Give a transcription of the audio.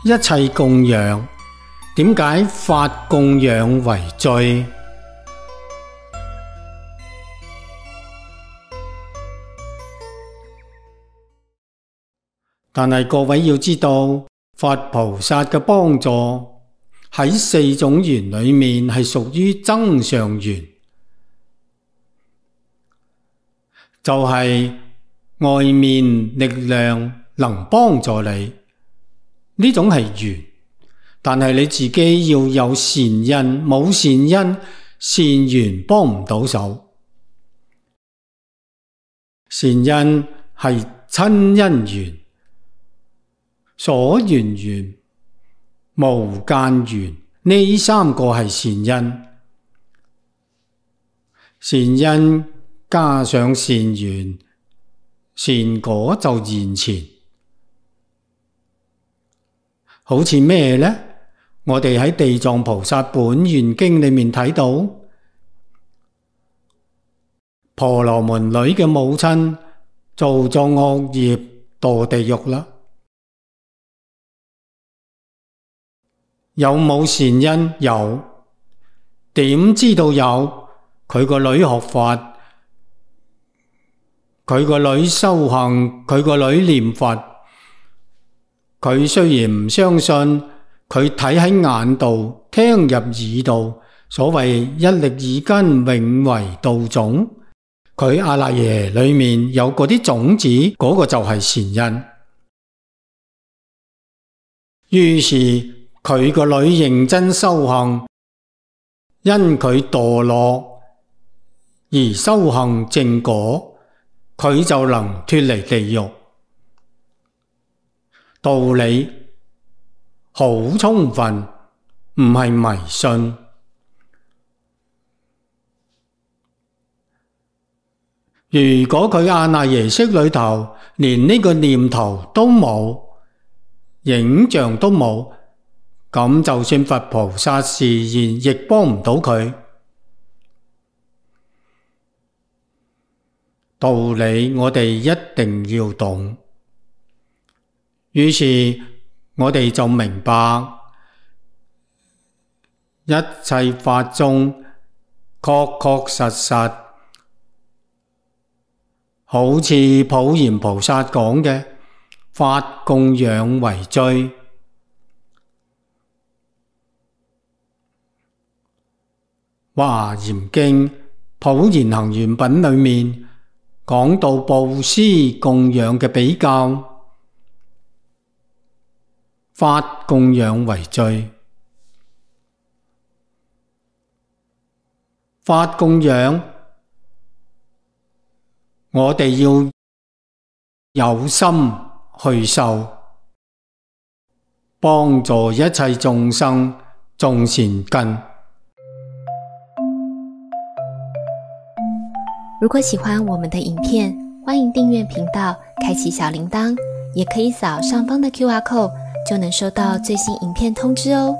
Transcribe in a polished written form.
一切供養，點解法供養為最？但係各位要知道，佛菩薩嘅幫助喺四種緣裏面係屬於增上緣，就係外面力量能幫助你，呢種係緣。但係你自己要有善因，冇善因，善緣幫唔到手。善因係親因緣、所緣緣、無間緣，呢三個係善因。善因加上善緣，善果就現前。好似咩呢？我哋喺地藏菩薩本願經裏面睇到，婆羅門女嘅母親做咗惡業墮地獄啦。有冇善因？有。點知道有？佢個女學法，佢個女修行，佢個女念佛。佢雖然唔相信，佢睇喺眼度，聽入耳度，所謂一力耳根，永為道種。佢阿賴耶裏面有嗰啲種子，嗰個就係善因。於是佢個女認真修行，因佢墮落而修行正果，佢就能脫離地獄。道理好充分，唔係迷信。如果佢阿賴耶識裏頭連呢個念頭都冇，影像都冇，咁就算佛菩薩示現，亦幫唔到佢。道理我哋一定要懂。於是我哋就明白，一切法中確確實實，好似普賢菩薩講嘅，法供養為最。華嚴經普賢行願品裏面講到布施供養嘅比較，法供養為最。法供養，我哋要有心去受，幫助一切眾生種善根。如果喜歡我們的影片，歡迎訂閱頻道，開啟小鈴鐺，也可以掃上方的QR code，就能收到最新影片通知哦。